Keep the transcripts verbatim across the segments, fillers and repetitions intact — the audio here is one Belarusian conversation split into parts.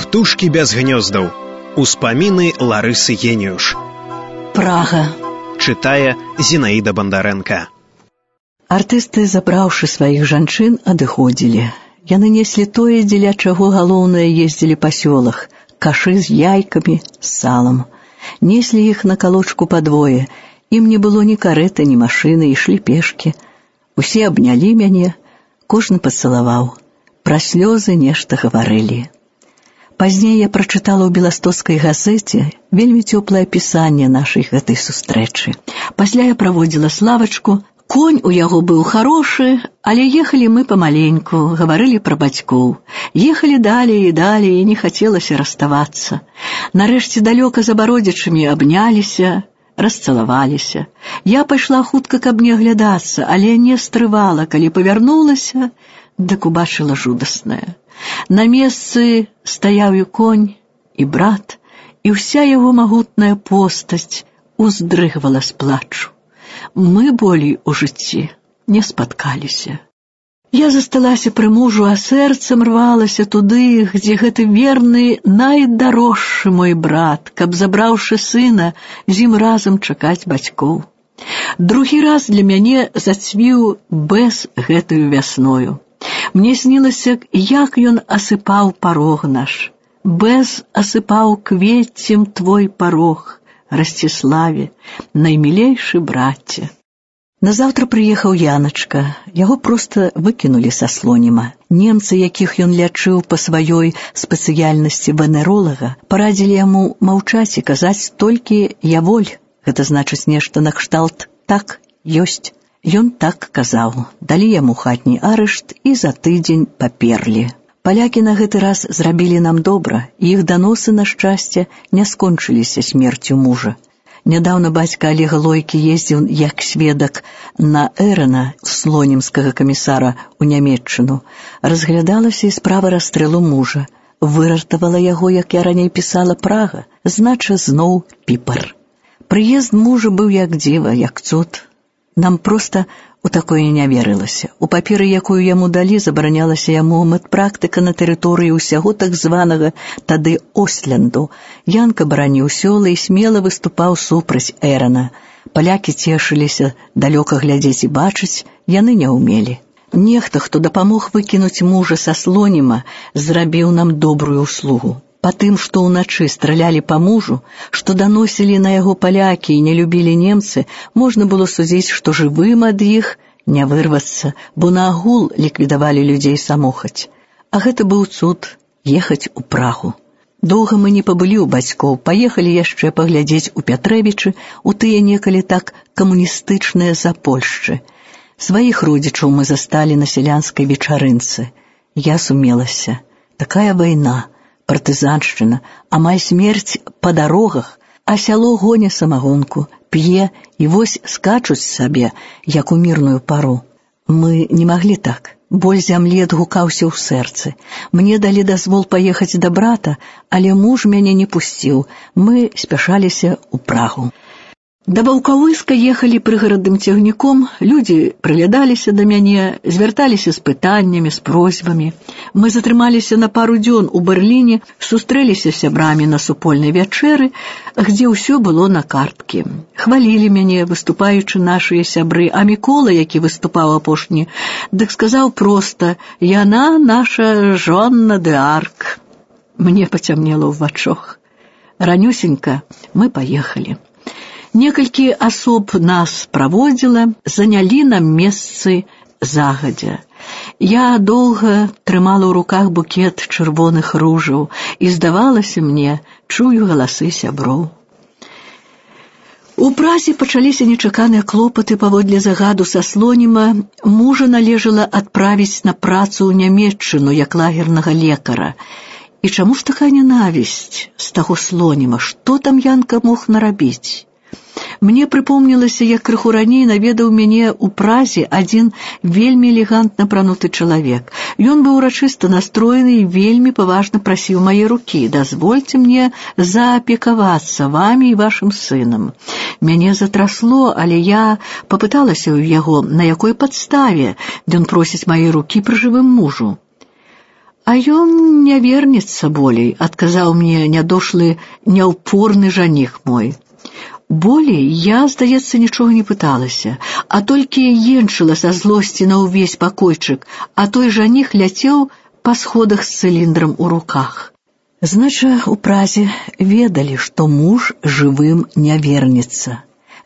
Птушкі без гнёздаў. Успаміны Ларысы Геніюш. Прага. Чытае Зінаіда Бандарэнка. Артысты, забраўшы сваіх жанчын, адыходзілі. Яны неслі тое, дзеля чаго галоўнае ездзілі па сёлах. Кашы з яйкамі, з салам. Неслі іх на калочку падвое. Ім не было ні карэты, ні машыны, ішлі пешкі. Усе абнялі мяне, кожны пацалаваў. Пра слёзы нешта гаварылі. Пазней я прачытала ў беластоцкай газеце вельмі цёплае апісанне нашай гэтай сустрэчы. Пасля я праводзіла Славачку. Конь у яго быў харошы, але ехалі мы памаленьку, гаварылі пра бацькоў. Ехалі далей і далей, і не хацелася расставацца. Нарэшце далёка за бародзічамі абняліся, расцалаваліся. Я пайшла хутка, каб не аглядацца, але не стрывала, калі павярнулася, дык убачыла жудаснае. На месцы стаяў і конь, і брат, і ўся яго магутная постаць уздрыгвала з плачу. Мы болей у жыцці не спаткаліся. Я засталася пры мужу, а сэрцам рвалася туды, дзе гэты верны, найдарожшы мой брат, каб, забраўшы сына, з ім разам чакаць бацькоў. Другі раз для мяне зацвіў Бэз гэтую вясною. Мне снілася, як ён асыпаў парог наш. Бэз асыпаў квеццем твой парог, Расціславе, наймілейшы браце. Назаўтра прыехаў Яначка. Яго проста выкінулі са Слоніма. Немцы, якіх ён лячыў па сваёй спецыяльнасці венеролага, парадзілі яму маўчаць і казаць толькі «я воль». Гэта значыць нешта накшталт «так, ёсць». Ён так казаў. Далі яму хатні арышт і за тыдзень паперлі. Палякі на гэты раз зрабілі нам добра, і іх даносы, на шчасце, не скончыліся смерцю мужа. Нядаўна бацька Алега Лойкі ездзіў як сведак на Эрана, слонімскага камісара, у Нямецчыну. Разглядалася і справа расстрэлу мужа. Выратавала яго, як я раней пісала, Прага, знача зноў Піпар. Прыезд мужа быў як дзіва, як цуд. Нам проста у такое не верылася. У паперы, якую яму далі, забаранялася яму медпрактыка на тэрыторыі ўсяго так званага тады Ослянду. Янка бараніў сёлы і смела выступаў супраць Эрана. Палякі цешыліся, далёка глядзець і бачыць яны не ўмелі. Нехта, хто дапамог выкінуць мужа са Слоніма, зрабіў нам добрую услугу. Па тым, што ўначы стралялі па мужу, што даносілі на яго палякі і не любілі немцы, можна было судзіць, што жывым ад іх не вырвацца, бо наагул ліквідавалі людзей самохаць. А гэта быў цуд ехаць у Прагу. Доўга мы не пабылі ў бацькоў, паехалі яшчэ паглядзець у Пятрэвічы, у тыя некалі так камуністычныя Запольшчы. Сваіх родзічаў мы засталі на сялянскай вечарынцы. Я сумелася. Такая вайна, партызаншчына, амаль смерць па дарогах, а сяло гоня самагонку, п'е і вось скачуць сабе, як у мірную пару. Мы не маглі так. Боль зямлі адгукаўся ў сэрцы. Мне далі дазвол паехаць да брата, але муж мяне не пусціў. Мы спяшаліся ў Прагу. Да Ваўкавыска ехалі прыгарадным цягніком, людзі прыглядаліся да мяне, звярталіся з пытаннямі, з просьбамі. Мы затрымаліся на пару дзён у Берліне, сустрэліся з сябрамі на супольнай вячэры, дзе ўсё было на карткі. Хвалілі мяне, выступаючы нашыя сябры, а Мікола, які выступаў апошні, дык сказаў проста: «Яна наша Жонна д'Арк». Мне пацямнела ў вачах. Ранюсенька мы паехалі. Некалькі асоб нас праводзіла, занялі нам месцы загадзя. Я доўга трымала ў руках букет чырвоных ружаў, і, здавалася мне, чую галасы сяброў. У Празе пачаліся нечаканыя клопаты паводле загаду са Слоніма. Мужа належала адправіць на працу ў Нямецчыну як лагернага лекара. І чаму ж такая ненавісць з таго Слоніма? Што там Янка мог нарабіць? Мне прыпомнілася, як крыху раней наведаў мяне ў Празе адзін вельмі элегантна апрануты чалавек. Ён быў урачыста настроены і вельмі паважна прасіў мае рукі: «Дазвольце мне заапекавацца вамі і вашым сынам». Мяне затрасло, але я папыталася ў яго, на якой падставе ён просіць мае рукі пры жывым мужу. А ён не вернецца болей, адказаў мне нядошлы, няўпорны жаніх мой. Болей я, здаецца, нічога не пыталася, а толькі енчыла са злосці на ўвесь пакойчык, а той жаніх ляцеў па сходах з цыліндрам у руках. Знача, у Празе ведалі, што муж жывым не вернецца.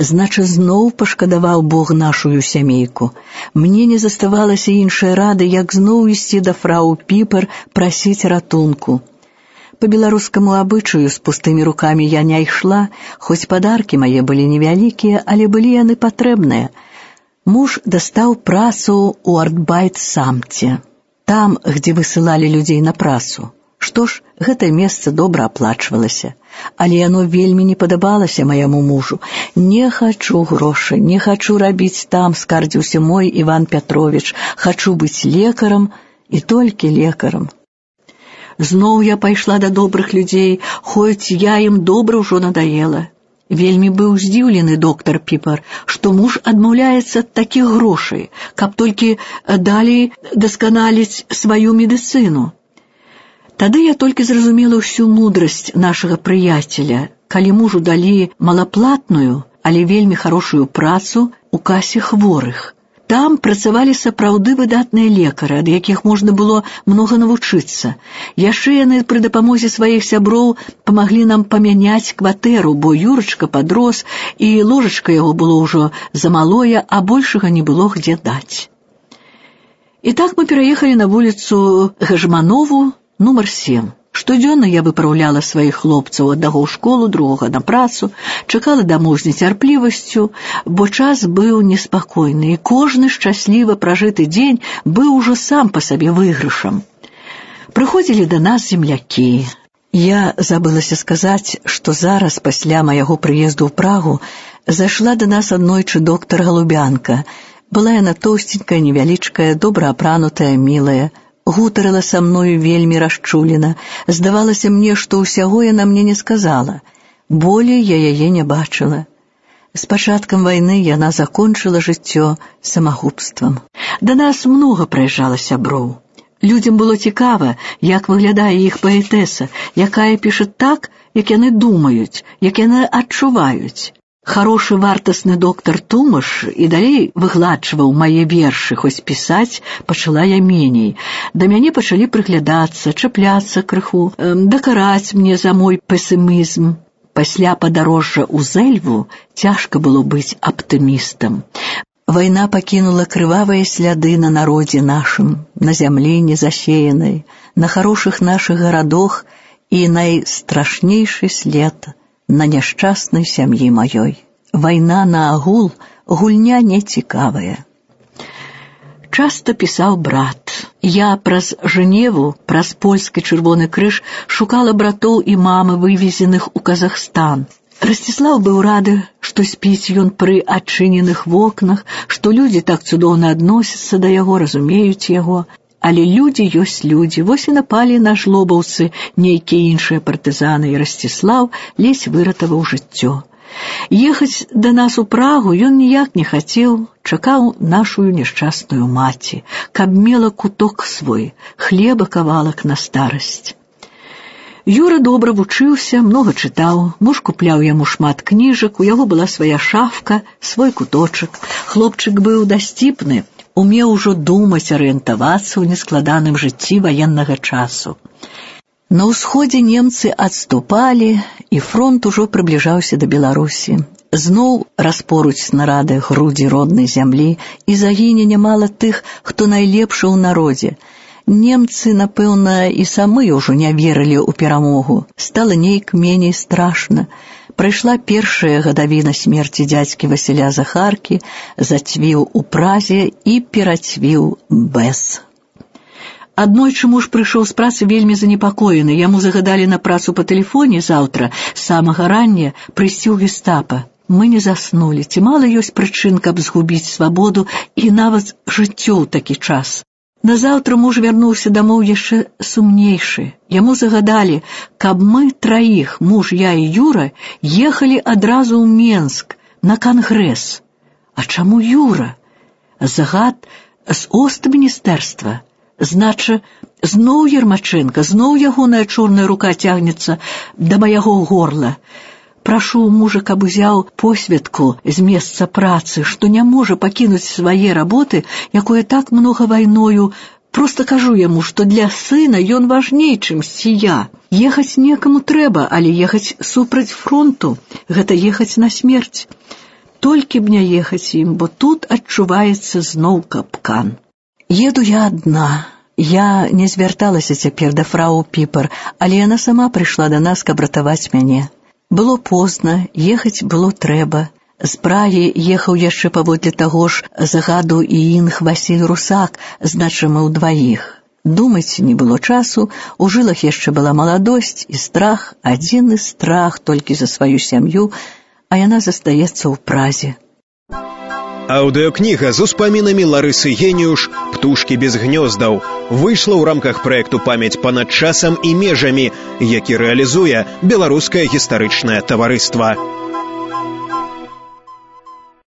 Знача, зноў пашкадаваў Бог нашую сямейку. Мне не заставалася іншай рады, як зноў ісці да фрау Піпер прасіць ратунку. По беларускаму абычаю з пустымі рукамі я не ішла, хоць падаркі мае былі невялікія, але былі яны патрэбныя. Муж дастаў працу ў Артбайт-самце, там, где высылалі людзей на працу. Што ж, гэтае месца добра аплачвалася, але яно вельмі не падабалася маяму мужу. Не хачу грошай, не хачу рабіць там, скардзіўся мой Іван Пятровіч, хачу быць лекарам і толькі лекарам. Зноў я пайшла да добрых людзей, хоць я ім добра ўжо надаела. Вельмі быў здзіўлены доктар Піпер, што муж адмаўляецца ад такіх грошай, каб толькі далей дасканаліць сваю медыцыну. Тады я толькі зразумела ўсю мудрасць нашага прыяцеля, калі мужу далі малаплатную, але вельмі хорошую працу у касе хворых. Там працавалі сапраўды выдатныя лекары, ад якіх можна было многа навучыцца. Яшчэ яны пры дапамозе сваіх сяброў памаглі нам памяняць кватэру, бо Юрачка падрос, і ложачка яго было ўжо замалое, а большага не было где даць. І так мы пераехалі на вуліцу Гажманову, нумар сем. Штодзённа я выпраўляла сваіх хлопцаў аднаго ў школу, другога на працу, чакала дамоў з нецярплівасцю, бо час быў неспакойны, і кожны шчасліва пражыты дзень быў ужо сам па сабе выйгрышам. Прыходзілі да нас землякі. Я забылася сказаць, што зараз, пасля майго прыезду ў Прагу, зайшла да нас аднойчы доктар Галубянка. Была яна тоўстенькая, невялічкая, добра апранутая, мілая. Гутарыла са мною вельмі расчулена. Здавалася мне, што ўсяго яна мне не сказала. Болей я яе не бачыла. З пачаткам вайны яна закончыла жыццё самагубствам. Да нас многа прыязджала сяброў. Людзям было цікава, як выглядае іх паэтэса, якая піша так, як яны думаюць, як яны адчуваюць. Харошы вартасны доктар Тумаш і далей выгладчваў мае вершы, хоць пісаць пачала я меней. Да мяне пачалі прыглядацца, чапляцца крыху, дакараць мне за мой песімізм. Пасля падарожжа ў Зэльву цяжка было быць аптымістам. Вайна пакінула крывавыя сляды на народзе нашым, на зямлі незасеянай, на харошых нашых гарадах і найстрашнейшы след на няшчаснай сям'і маёй. Вайна на агул, гульня нецікавая. Часта пісаў брат. Я праз Жэневу, праз польскі Чырвоны крыж шукала братоў і мамы, вывезеных у Казахстан. Расціслаў быў рады, што спіць ён пры адчыненых вокнах, што людзі так цудоўна адносяцца да яго, разумеюць яго. Але людзі ёсць людзі, вось і напалі на жлобаўцы нейкія іншыя партызаны, і Расціслаў ледзь выратаваў жыццё. Ехаць да нас у Прагу ён ніяк не хацеў, чакаў нашую няшчасную маці, каб мела куток свой, хлеба кавалак на старасць. Юра добра вучыўся, многа чытаў, муж купляў яму шмат кніжак, у яго была свая шафка, свой куточак. Хлопчык быў дасціпны, умеў ужо думаць, арыентавацца ў нескладаным жыцці ваеннага часу. На ўсходзе немцы адступалі, і фронт ужо прыбліжаўся да Беларусі. Зноў распоруць снарады грудзі роднай зямлі, і загіне нямала тых, хто найлепшы ў народзе. Немцы, напэўна, і самы ўжо не верылі ў перамогу. Стала нейк меней страшна. Прайшла першая гадавіна смерці дзядзькі Васіля Захаркі, зацвіў у Празе і перацвіў бэс. Аднойчы муж прыйшоў з працы вельмі занепакоены. Яму загадалі на працу па тэлефоне заўтра, з самага рання, прыйсці ў гестапа. Мы не заснулі. Ці мала ёсць прычын, каб згубіць свабоду і нават жыццё ў такі час. Назаўтра муж вярнуўся дамоў яшчэ сумнейшы. Яму загадалі, каб мы траіх, муж, я і Юра, ехалі адразу ў Менск на кангрэс. А чаму Юра? Загад з Остміністэрства. Знача, Зноў Ермачэнка, зноў ягоная чорная рука цягнецца да майго горла. Прашу мужа, каб узяў посведку з месца працы, што не можа пакінуць свае работы, якое так многа вайною. Просто кажу яму, што для сына ён важней, чымсьці я. Ехаць некаму трэба, але ехаць супраць фронту, гэта ехаць на смерць. Толькі б не ехаць ім, бо тут адчуваецца зноў капкан. Еду я адна. Я не звярталася цяпер да фрау Піпер, але яна сама прыйшла да нас, каб ратаваць мяне. Было позна, ехаць было трэба. З Прагі ехаў яшчэ паводле таго ж загаду і інг Васіль Русак, значы мы ўдваіх. Думаць не было часу, у жылах яшчэ была маладосць і страх, адзіны страх толькі за сваю сям'ю, а яна застаецца ў Празе. Аўдыёкніга з успамінамі Ларысы Геніюш «Птушкі без гнёздаў» выйшла ў рамках праекту «Памяць панад часам і межамі», які рэалізуе Беларускае гістарычнае таварыства.